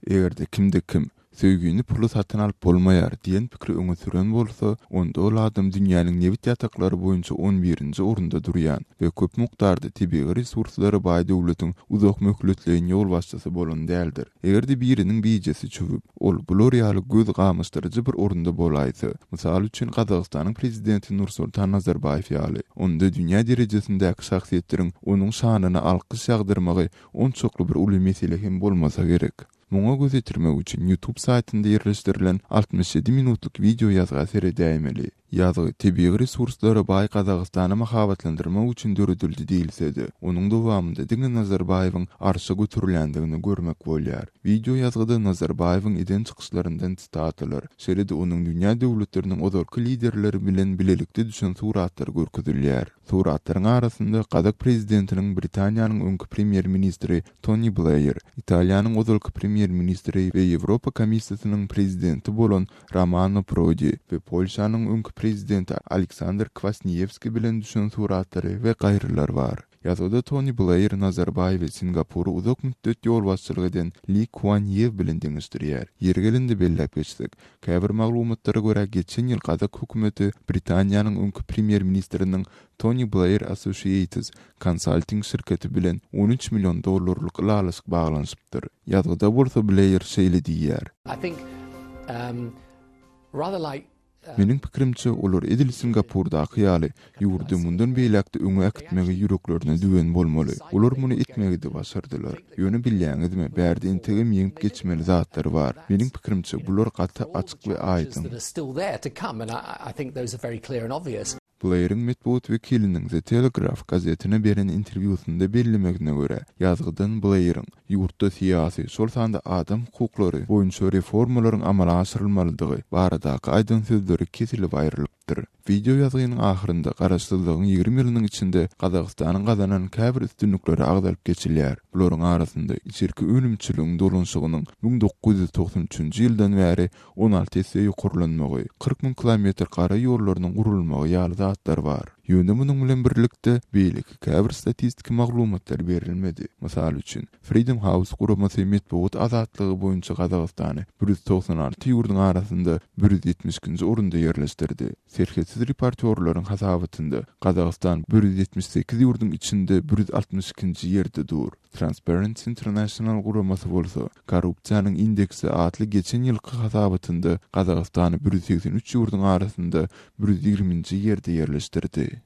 Eger-de kimde-kim, Söýgini pula satyn alyp bolmaýar diýen pikiri öňe süren bolsa, onda ol adam dünýäniň nebit ýataklary boýunça on birinji orunda durýan we köp mukdarda tebigy resurslara baý döwletiň uzak möhletleýin ýolbaşçysy bolan däldir. Eger-de biriniň bijesi çüwüp, ol bular ýaly göz gamaşdyryjy bir orunda bolaýsa, mysal üçin Gazagystanyň prezidenti Nursultan Nazarbaýew ýaly, onda dünýä derejesindäki şahsyýetleriň onuň şanyna alkyş ýagdyrmagy onçakly bir uly mesele hem bolmasa gerek. Muňa göz ýetirmek üçin YouTube saýtynda ýerleşdirilen 67 minutlyk wideo ýazga seredäýmeli. Ýazgy tebigy resurslara baý Gazagystany mahabatlandyrmak üçin döredildi diýilse-de, onuň dowamynda diňe Nazarbaýewiň arşa göterilýändigini görmek bolýar. Wideo ýazgyda Nazarbaýewiň eden çykyşlaryndan sitatalar, şeýle-de onuň dünýä döwletleriniň ozalky liderleri bilen bilelikde düşen suratlary görkezilýär. Suratlaryň arasynda gazak prezidentiniň Britaniýanyň öňki premýer-ministri Toni Bleýr, Italiýanyň ozalky premýer-ministri we Ýewropa Komissiýasynyň prezidenti bolan Romano Prodi we Polşanyň öňki prezidenti Aleksandr Kwasniýewski bilen düşen suratlary we gaýrylar bar. Ýazgyda Toni Bleýr Nazarbaýewi Singapura uzak mütdet ýolbaşçylyk eden Li Kuan Ýew bilen deňeşdirýär. Ýeri gelende belläp geçsek, käbir maglumatlara görä geçen ýyl gazak hökümeti Britaniýanyň öňki premýer-ministriniň Tony Blair Associates konsalting şirketi bilen 13 million dollarlyk ylalaşyk baglanyşypdyr. Ýazgyda bolsa Bleýr şeýle diýýär. I think um, rather like Meniň pikirimçe, olar edil Singapurdaky ýaly, ýurdy mundan beýläk-de öňe äkitmegi ýüreklerine düwen bolmaly. Olar muny etmegi-de başardylar. Ýöne bilýäňizmi, bärde entegem ýeňip geçmeli zatlar bar. Meniň pikirimçe, bular gaty açyk we aýdyň. Bleýriň metbugat wekiliniň The Telegraph gazetine beren interwýusynda bellemegine görä, ýazgydan Bleýriň, ýurtda syýasy, şol sanda adam hukuklary boýunça reformalaryň amala aşyrylmalydygy baradaky aýdan sözleri kesilip aýrylypdyr. Wideo ýazgynyň ahyrynda garaşsyzlygyň 20 ýylynyň içinde Gazagystanyň gazanan käbir üstünlikleri agzalyp geçilýär. Bularyň arasynda içerki önümçiligiň dolanyşygynyň 1993-nji ýyldan bäri 16 esse ýokarlanmagy, 40 müň kilometr gara ýollarynyň gurulmagy ýaly zatlar bar. Ýöne munuň bilen birlikde, beýleki käbir statistiki maglumatlar berilmedi. Mysal üçin, Freedom House guramasy metbugat azatlygy boýunça Gazagystany 196 ýurduň arasynda 172-nji orunda ýerleşdirdi. Serhetsiz reportýorlaryň hasabatynda Gazagystan 178 ýurduň içinde 162-nji ýerde dur. Transparency International guramasy bolsa, Korrupsiýanyň indeksi atly geçen ýylky hasabatynda Gazagystany 183 ýurduň arasynda 120-nji ýerde ýerleşdirdi.